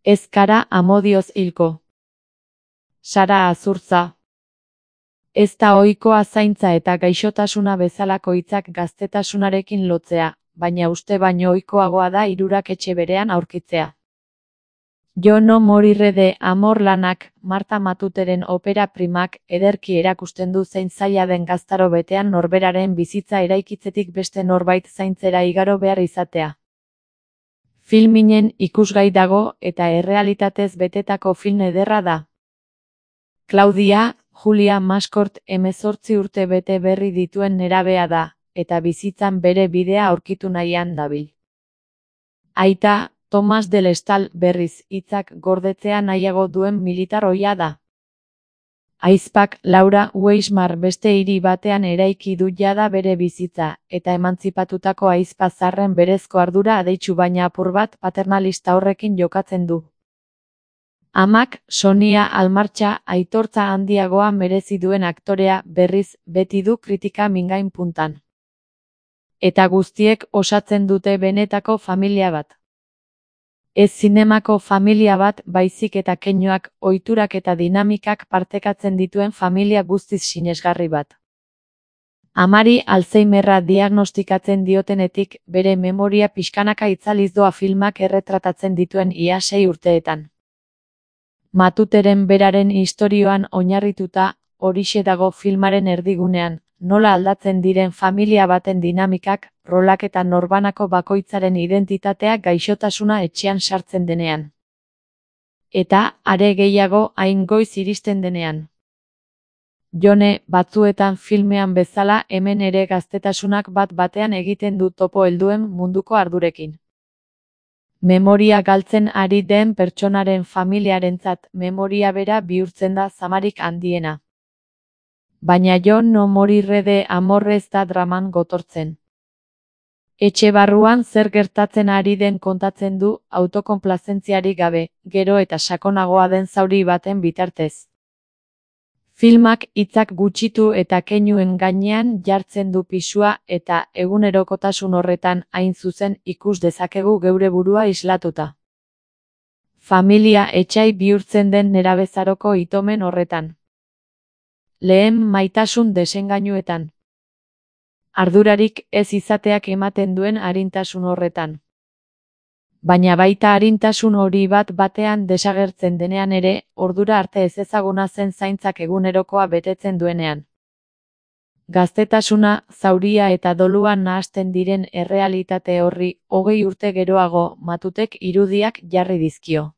Ez kara amodioz hilko. Sara Azurtza. Ez da ohikoa zaintza eta gaixotasuna bezalako hitzak gaztetasunarekin lotzea, baina uste baino ohikoagoa da hirurak etxe berean aurkitzea. Jo no moriré de amor lanak, Marta Matuteren opera primak, ederki erakusten du zein zaila den gaztaro betean norberaren bizitza eraikitzetik beste norbait zaintzera igaro behar izatea. Filminen ikusgai dago eta errealitatez betetako film ederra da. Claudia, Julia Mascort 18 urte bete berri dituen nerabea da, eta bizitzan bere bidea aurkitu nahian dabil. Aita, Thomas del Estal berriz hitzak gordetzea nahiago duen militar ohia da. Ahizpak Laura Weismar beste hiri batean eraiki du jada bere bizitza, eta emantzipatutako ahizpa zarren berezko ardura adeitsu baina apur bat paternalista horrekin jokatzen du. Amak, Sonia Almartxa, aitortza handiagoa merezi duen aktorea berriz beti du kritika mingain puntan. Eta guztiek osatzen dute benetako familia bat. Ez zinemako familia bat baizik eta keinuak, ohiturak eta dinamikak partekatzen dituen familia guztiz sinesgarri bat. Amari Alzheimerra diagnostikatzen diotenetik bere memoria pixkanaka itzaliz doa filmak erretratatzen dituen ia 6 urteetan. Matuteren beraren istorioan oinarrituta, horixe dago filmaren erdigunean, nola aldatzen diren familia baten dinamikak, rolak eta norbanako bakoitzaren identitatea gaixotasuna etxean sartzen denean. Eta, are gehiago, hain goiz iristen denean. Jone, batzuetan filmean bezala hemen ere gaztetasunak bat batean egiten du topo helduen munduko ardurekin. Memoria galtzen ari den pertsonaren familiarentzat memoria bera bihurtzen da zamarik handiena. Baina Jo no moriré de amor ez da draman gotortzen. Etxe barruan zer gertatzen ari den kontatzen du autokonplazentziarik gabe, gero eta sakonagoa den zauri baten bitartez. Filmak hitzak gutxitu eta keinuen gainean jartzen du pisua eta egunerokotasun horretan hain zuzen ikus dezakegu geure burua islatuta. Familia etsai bihurtzen den nerabezaroko itomen horretan. Lehen maitasun desengainuetan. Ardurarik ez izateak ematen duen arintasun horretan. Baina baita arintasun hori bat batean desagertzen denean ere, ordura arte ezezaguna zen zaintzak egunerokoa betetzen duenean. Gaztetasuna, zauria eta doluan nahasten diren errealitate horri 20 urte geroago Matutek irudiak jarri dizkio.